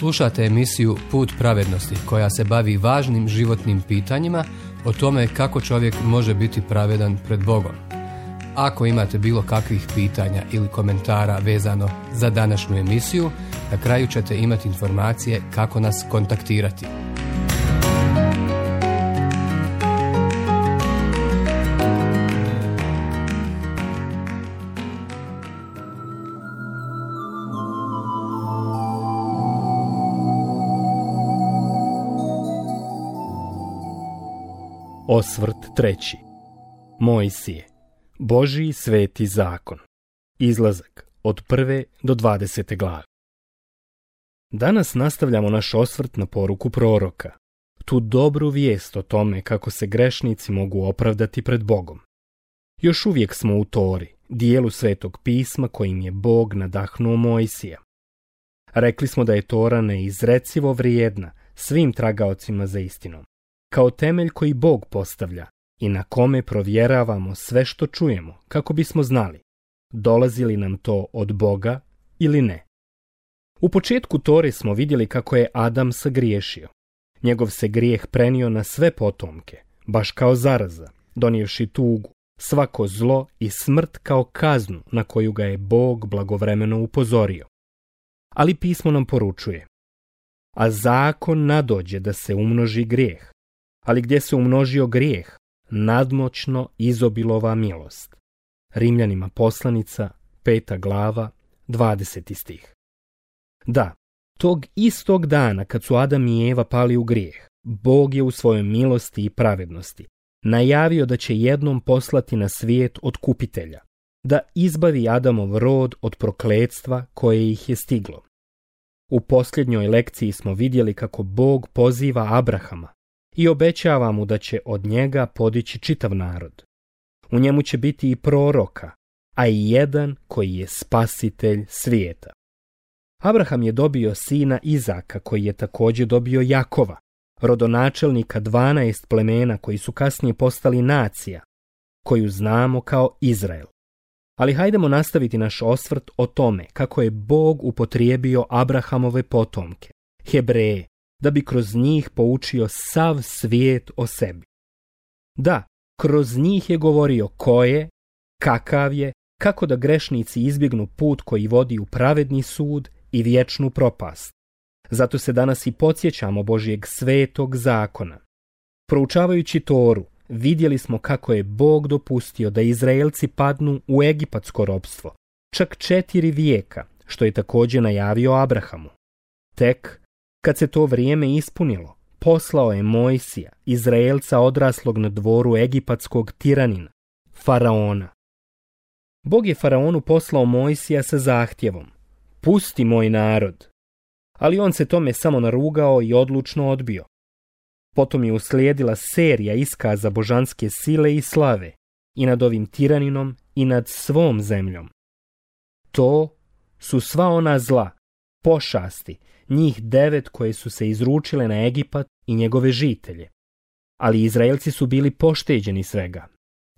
Slušate emisiju Put pravednosti koja se bavi važnim životnim pitanjima o tome kako čovjek može biti pravedan pred Bogom. Ako imate bilo kakvih pitanja ili komentara vezano za današnju emisiju, na kraju ćete imati informacije kako nas kontaktirati. Osvrt 3. Mojsije. Božji sveti zakon. Izlazak od 1. do 20. glave. Danas nastavljamo naš osvrt na poruku proroka, tu dobru vijest o tome kako se grešnici mogu opravdati pred Bogom. Još uvijek smo u Tori, dijelu Svetog pisma kojim je Bog nadahnuo Mojsija. Rekli smo da je Tora neizrecivo vrijedna svim tragaocima za istinom, kao temelj koji Bog postavlja i na kome provjeravamo sve što čujemo kako bismo znali dolazi li nam to od Boga ili ne. U početku Tore smo vidjeli kako je Adam sagriješio. Njegov se grijeh prenio na sve potomke, baš kao zaraza, donijevši tugu, svako zlo i smrt kao kaznu na koju ga je Bog blagovremeno upozorio. Ali pismo nam poručuje: a zakon nadođe da se umnoži grijeh, ali gdje se umnožio grijeh, nadmoćno izobilova milost. Rimljanima poslanica, 5. glava, 20. stih. Da, tog istog dana kad su Adam i Eva pali u grijeh, Bog je u svojoj milosti i pravednosti najavio da će jednom poslati na svijet otkupitelja, da izbavi Adamov rod od prokletstva koje ih je stiglo. U posljednjoj lekciji smo vidjeli kako Bog poziva Abrahama i obećava mu da će od njega podići čitav narod. U njemu će biti i proroka, a i jedan koji je spasitelj svijeta. Abraham je dobio sina Izaka, koji je također dobio Jakova, rodonačelnika 12 plemena koji su kasnije postali nacija, koju znamo kao Izrael. Ali hajdemo nastaviti naš osvrt o tome kako je Bog upotrijebio Abrahamove potomke, Hebreje, da bi kroz njih poučio sav svijet o sebi. Da, kroz njih je govorio ko je, kakav je, kako da grešnici izbjegnu put koji vodi u pravedni sud i vječnu propast. Zato se danas i podsjećamo Božjeg svetog zakona. Proučavajući Toru, vidjeli smo kako je Bog dopustio da Izraelci padnu u egipatsko ropstvo, čak 4 vijeka, što je također najavio Abrahamu. Tek kad se to vrijeme ispunilo, poslao je Mojsija, Izraelca odraslog na dvoru egipatskog tiranina, Faraona. Bog je Faraonu poslao Mojsija sa zahtjevom: pusti moj narod. Ali on se tome samo narugao i odlučno odbio. Potom je uslijedila serija iskaza božanske sile i slave i nad ovim tiraninom i nad svom zemljom. To su sva ona zla, pošasti, njih 9 koje su se izručile na Egipat i njegove žitelje. Ali Izraelci su bili pošteđeni svega.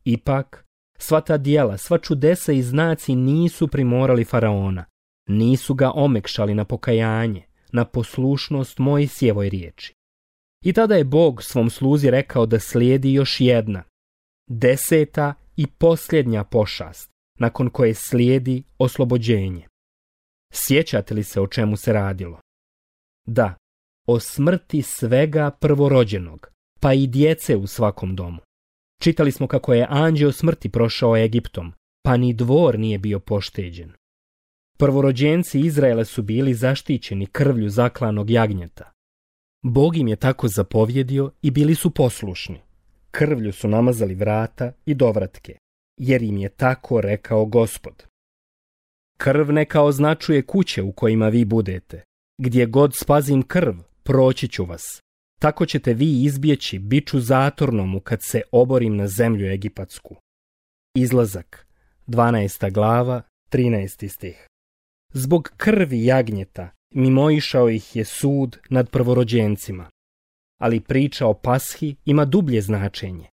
Ipak, sva ta djela, sva čudesa i znaci nisu primorali Faraona, nisu ga omekšali na pokajanje, na poslušnost Mojsijevoj riječi. I tada je Bog svom sluzi rekao da slijedi još jedna, 10. i posljednja pošast, nakon koje slijedi oslobođenje. Sjećate li se o čemu se radilo? Da, o smrti svega prvorođenog, pa i djece u svakom domu. Čitali smo kako je anđeo smrti prošao Egiptom, pa ni dvor nije bio pošteđen. Prvorođenci Izraela su bili zaštićeni krvlju zaklanog jagnjeta. Bog im je tako zapovjedio i bili su poslušni. Krvlju su namazali vrata i dovratke, jer im je tako rekao Gospod. Krv neka označuje kuće u kojima vi budete. Gdje god spazim krv, proći ću vas. Tako ćete vi izbjeći biču zatornomu kad se oborim na zemlju egipatsku. Izlazak, 12. glava, 13. stih. Zbog krvi jagnjeta mimoišao ih je sud nad prvorođencima. Ali priča o Pashi ima dublje značenje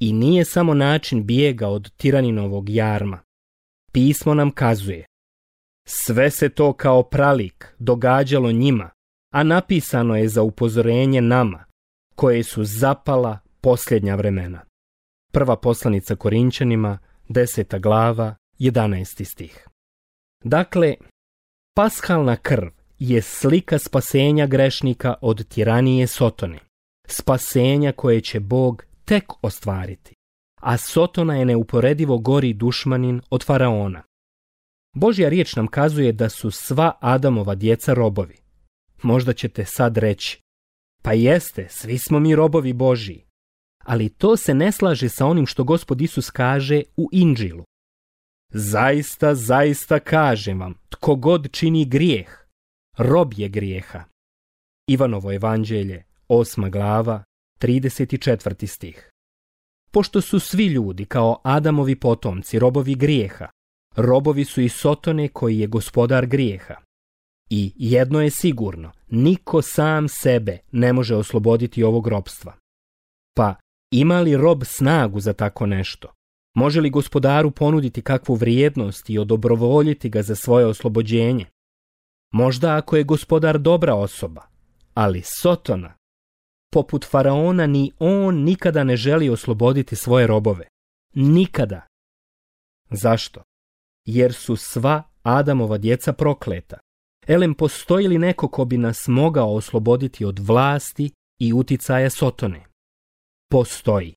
i nije samo način bijega od tiraninovog jarma. Pismo nam kazuje: sve se to kao pralik događalo njima a napisano je za upozorenje nama, koje su zapala posljednja vremena. Prva poslanica Korinćanima, 10. glava, 11. stih. Dakle, pashalna krv je slika spasenja grešnika od tiranije Sotone, spasenja koje će Bog tek ostvariti, a Sotona je neuporedivo gori dušmanin od faraona. Božja riječ nam kazuje da su sva Adamova djeca robovi. Možda ćete sad reći, pa jeste, svi smo mi robovi Božji, ali to se ne slaže sa onim što Gospod Isus kaže u Inđilu. Zaista, zaista kažem vam, tko god čini grijeh, rob je grijeha. Ivanovo evanđelje, 8. glava, 34. stih. Pošto su svi ljudi kao Adamovi potomci robovi grijeha, robovi su i Sotone koji je gospodar grijeha. I jedno je sigurno, niko sam sebe ne može osloboditi ovog robstva. Pa ima li rob snagu za tako nešto? Može li gospodaru ponuditi kakvu vrijednost i odobrovoljiti ga za svoje oslobođenje? Možda ako je gospodar dobra osoba, ali Sotona, poput faraona, ni on nikada ne želi osloboditi svoje robove. Nikada. Zašto? Jer su sva Adamova djeca prokleta. Elem, postoji li neko ko bi nas mogao osloboditi od vlasti i uticaja Sotone? Postoji.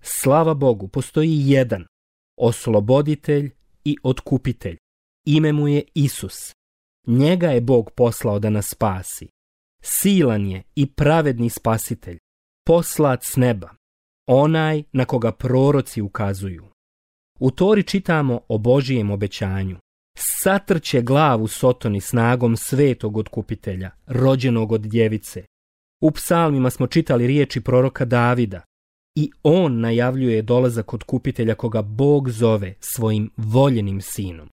Slava Bogu, postoji jedan, osloboditelj i otkupitelj. Ime mu je Isus. Njega je Bog poslao da nas spasi. Silan je i pravedni spasitelj, poslat s neba, onaj na koga proroci ukazuju. U Tori čitamo o Božijem obećanju. Satrće glavu Sotoni snagom svetog otkupitelja, rođenog od djevice. U psalmima smo čitali riječi proroka Davida i on najavljuje dolazak otkupitelja koga Bog zove svojim voljenim sinom.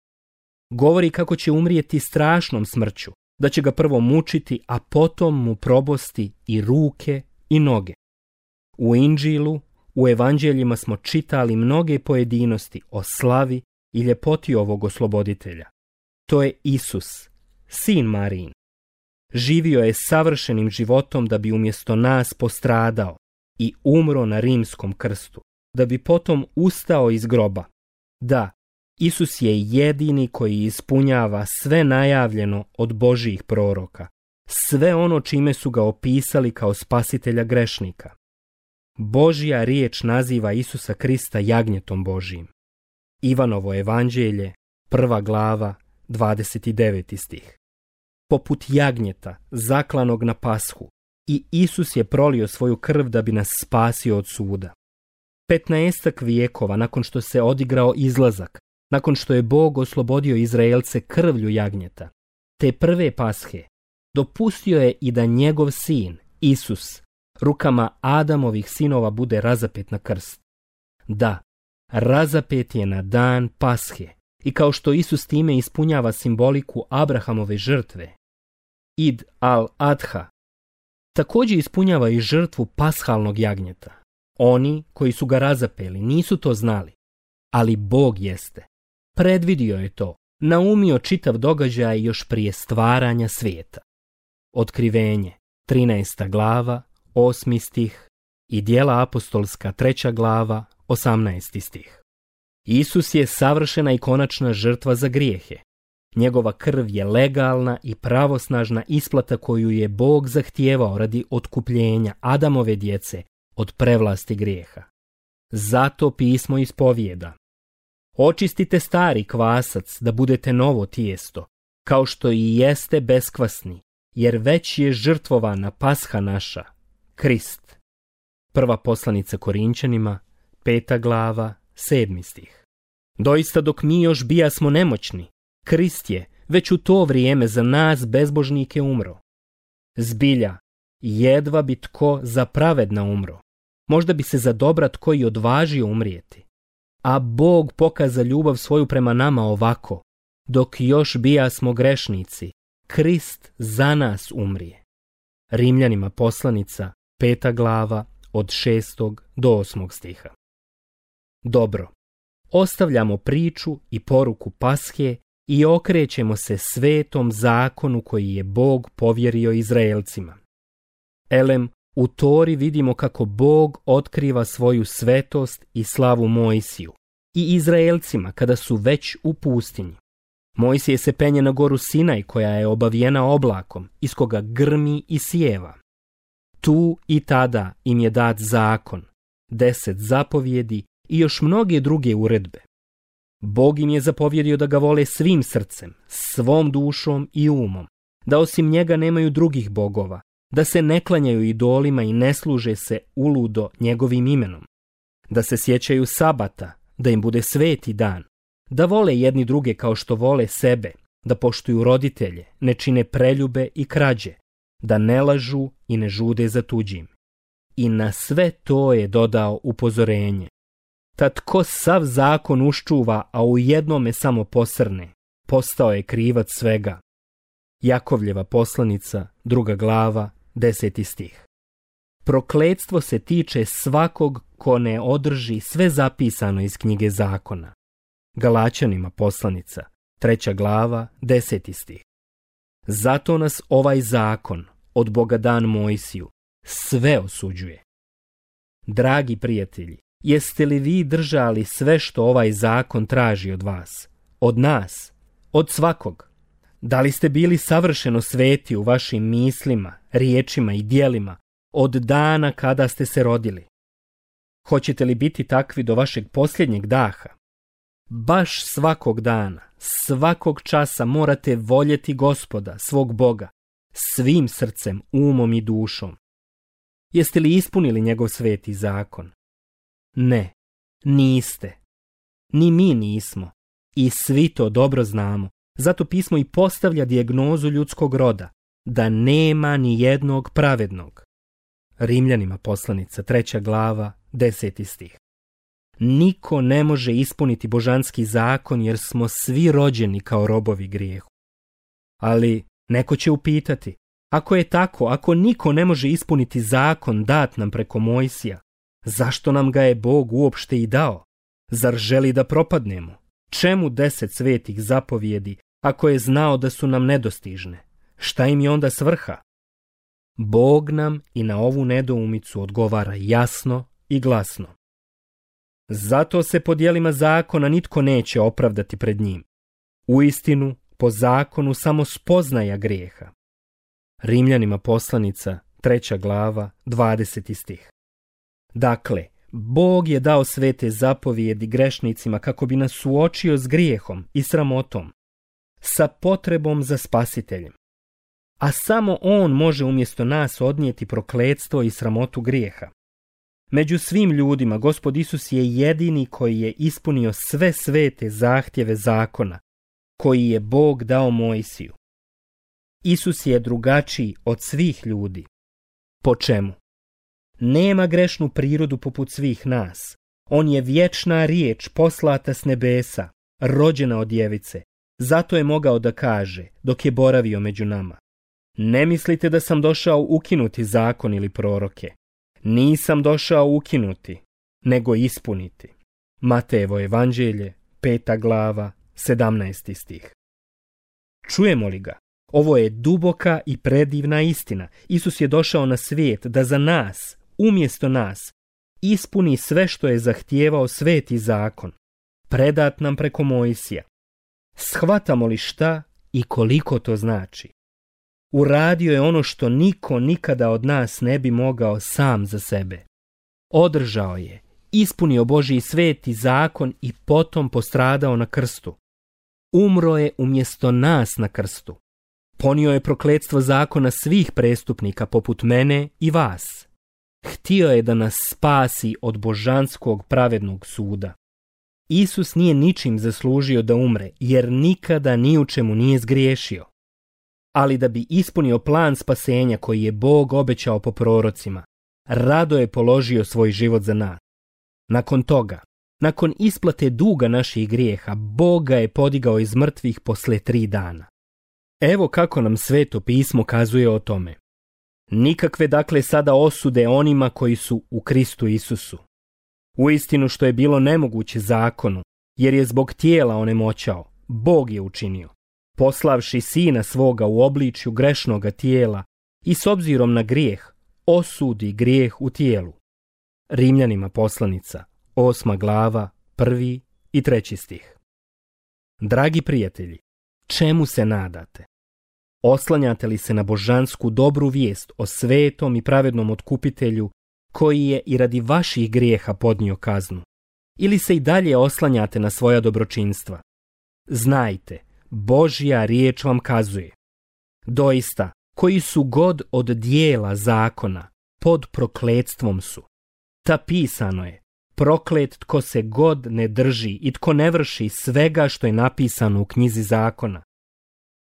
Govori kako će umrijeti strašnom smrću, da će ga prvo mučiti, a potom mu probosti i ruke i noge. U Inđilu, u evanđeljima smo čitali mnoge pojedinosti o slavi i ljepoti ovog osloboditelja. To je Isus, sin Marijin. Živio je savršenim životom da bi umjesto nas postradao i umro na rimskom krstu, da bi potom ustao iz groba. Da, Isus je jedini koji ispunjava sve najavljeno od Božjih proroka, sve ono čime su ga opisali kao spasitelja grešnika. Božja riječ naziva Isusa Krista jagnjetom Božjim. Ivanovo evanđelje, 1. glava, 29. stih. Poput jagnjeta, zaklanog na Pashu, i Isus je prolio svoju krv da bi nas spasio od suda. 15 vijekova nakon što se odigrao izlazak, nakon što je Bog oslobodio Izraelce krvlju jagnjeta, te prve Pashe, dopustio je i da njegov sin, Isus, rukama Adamovih sinova bude razapet na krst. Da, razapet je na dan Pashe i kao što Isus time ispunjava simboliku Abrahamove žrtve, Id al-Adha, također ispunjava i žrtvu pashalnog jagnjeta. Oni koji su ga razapeli nisu to znali, ali Bog jeste. Predvidio je to, naumio čitav događaj još prije stvaranja svijeta. Otkrivenje, 13. glava, 8. stih i Djela apostolska, 3. glava, 18. stih. Isus je savršena i konačna žrtva za grijehe. Njegova krv je legalna i pravosnažna isplata koju je Bog zahtijevao radi otkupljenja Adamove djece od prevlasti grijeha. Zato pismo ispovijeda: očistite stari kvasac da budete novo tijesto, kao što i jeste beskvasni, jer već je žrtvovana Pasha naša, Krist. Prva poslanica Korinćanima, 5. glava, 7. stih. Doista dok mi još bijasmo nemoćni, Krist je već u to vrijeme za nas bezbožnike umro. Zbilja, jedva bi tko za pravedna umro. Možda bi se za dobra tko i odvažio umrijeti. A Bog pokaza ljubav svoju prema nama ovako: dok još bijasmo grešnici, Krist za nas umrije. Rimljanima poslanica, 5. glava, od 6. do 8. stiha. Dobro, ostavljamo priču i poruku Pashe i okrećemo se svetom zakonu koji je Bog povjerio Izraelcima. Elem, u Tori vidimo kako Bog otkriva svoju svetost i slavu Mojsiju i Izraelcima kada su već u pustinji. Mojsije se penje na goru Sinaj koja je obavijena oblakom, iz koga grmi i sjeva. Tu i tada im je dat zakon, 10 zapovjedi i još mnoge druge uredbe. Bog im je zapovjedio da ga vole svim srcem, svom dušom i umom, da osim njega nemaju drugih bogova, da se ne klanjaju idolima i ne služe se uludo njegovim imenom, da se sjećaju sabata, da im bude sveti dan, da vole jedni druge kao što vole sebe, da poštuju roditelje, ne čine preljube i krađe, da ne lažu i ne žude za tuđim. I na sve to je dodao upozorenje. Tad tko sav zakon uščuva, a u jednome samo posrne, postao je krivac svega. Jakovljeva poslanica, 2. glava, 10. stih. Prokletstvo se tiče svakog ko ne održi sve zapisano iz knjige zakona. Galačanima poslanica, 3. glava, 10. stih. Zato nas ovaj zakon, od Boga dan Mojsiju, sve osuđuje. Dragi prijatelji, jeste li vi držali sve što ovaj zakon traži od vas, od nas, od svakog? Da li ste bili savršeno sveti u vašim mislima, riječima i djelima od dana kada ste se rodili? Hoćete li biti takvi do vašeg posljednjeg daha? Baš svakog dana, svakog časa morate voljeti Gospoda, svog Boga, svim srcem, umom i dušom. Jeste li ispunili njegov sveti zakon? Ne, niste. Ni mi nismo. I svi to dobro znamo. Zato pismo i postavlja dijagnozu ljudskog roda, da nema ni jednog pravednog. Rimljanima poslanica, 3. glava, 10. stih. Niko ne može ispuniti božanski zakon jer smo svi rođeni kao robovi grijehu. Ali neko će upitati, ako je tako, ako niko ne može ispuniti zakon dat nam preko Mojsija, zašto nam ga je Bog uopšte i dao? Zar želi da propadnemo? Čemu 10 svetih zapovjedi ako je znao da su nam nedostižne? Šta im je onda svrha? Bog nam i na ovu nedoumicu odgovara jasno i glasno. Zato se po djelima zakona nitko neće opravdati pred njim. Uistinu, po zakonu samo spoznaja grijeha. Rimljanima poslanica, 3. glava, 20. stih. Dakle, Bog je dao svete zapovjedi grešnicima kako bi nas suočio s grijehom i sramotom, sa potrebom za spasiteljem. A samo On može umjesto nas odnijeti prokletstvo i sramotu grijeha. Među svim ljudima Gospod Isus je jedini koji je ispunio sve svete zahtjeve zakona, koji je Bog dao Mojsiju. Isus je drugačiji od svih ljudi. Po čemu? Nema grešnu prirodu poput svih nas. On je vječna riječ poslata s nebesa, rođena od djevice. Zato je mogao da kaže, dok je boravio među nama: ne mislite da sam došao ukinuti zakon ili proroke. Nisam došao ukinuti, nego ispuniti. Matejevo evanđelje, 5. glava, 17. stih. Čujemo li ga? Ovo je duboka i predivna istina. Isus je došao na svijet da za nas, umjesto nas, ispuni sve što je zahtijevao sveti zakon, predat nam preko Mojsija. Shvatamo li šta i koliko to znači? Uradio je ono što niko nikada od nas ne bi mogao sam za sebe. Održao je, ispunio Božji sveti zakon i potom postradao na krstu. Umro je umjesto nas na krstu. Ponio je prokletstvo zakona svih prestupnika poput mene i vas. Htio je da nas spasi od božanskog pravednog suda. Isus nije ničim zaslužio da umre, jer nikada ni u čemu nije zgriješio. Ali da bi ispunio plan spasenja koji je Bog obećao po prorocima, rado je položio svoj život za nas. Nakon toga, nakon isplate duga naših grijeha, Bog ga je podigao iz mrtvih posle 3 dana. Evo kako nam Sveto pismo kazuje o tome. Nikakve dakle sada osude onima koji su u Kristu Isusu. Uistinu što je bilo nemoguće zakonu, jer je zbog tijela onemoćao, Bog je učinio, poslavši sina svoga u obličju grešnoga tijela i s obzirom na grijeh osudi grijeh u tijelu. Rimljanima poslanica, 8. glava, 1. i 3. stih. Dragi prijatelji, čemu se nadate? Oslanjate li se na božansku dobru vijest o svetom i pravednom otkupitelju koji je i radi vaših grijeha podnio kaznu? Ili se i dalje oslanjate na svoja dobročinstva? Znajte, Božja riječ vam kazuje. Doista, koji su god od dijela zakona, pod prokletstvom su. Ta pisano je, proklet tko se god ne drži i tko ne vrši svega što je napisano u knjizi zakona.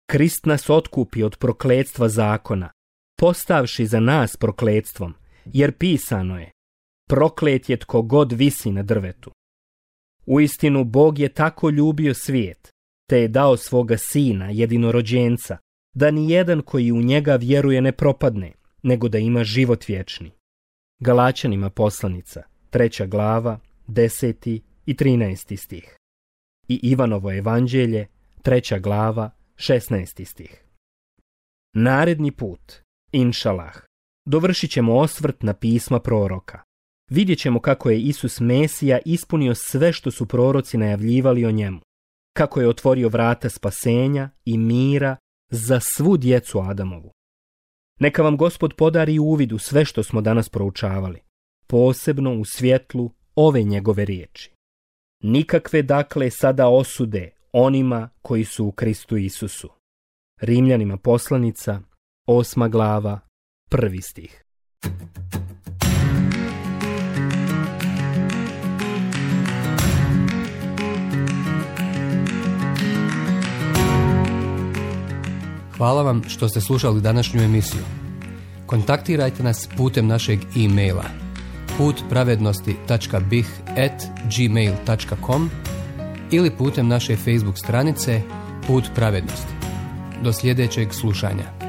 Krist nas otkupi od prokletstva zakona, postavši za nas prokletstvom, jer pisano je, proklet je tko god visi na drvetu. Uistinu Bog je tako ljubio svijet, te je dao svoga sina, jedinorođenca, da ni jedan koji u njega vjeruje ne propadne, nego da ima život vječni. Galačanima poslanica, 3. glava, 10. i 13. stih. I Ivanovo evanđelje, 3. glava, 16. stih. Naredni put, inšalah, dovršit ćemo osvrt na pisma proroka. Vidjet ćemo kako je Isus Mesija ispunio sve što su proroci najavljivali o njemu, kako je otvorio vrata spasenja i mira za svu djecu Adamovu. Neka vam Gospod podari uvid u sve što smo danas proučavali, posebno u svjetlu ove njegove riječi. Nikakve dakle sada osude onima koji su u Kristu Isusu. Rimljanima poslanica, 8. glava, 1. stih. Hvala vam što ste slušali današnju emisiju. Kontaktirajte nas putem našeg e-maila putpravednosti.bih@gmail.com ili putem naše Facebook stranice Put pravednosti. Do sljedećeg slušanja.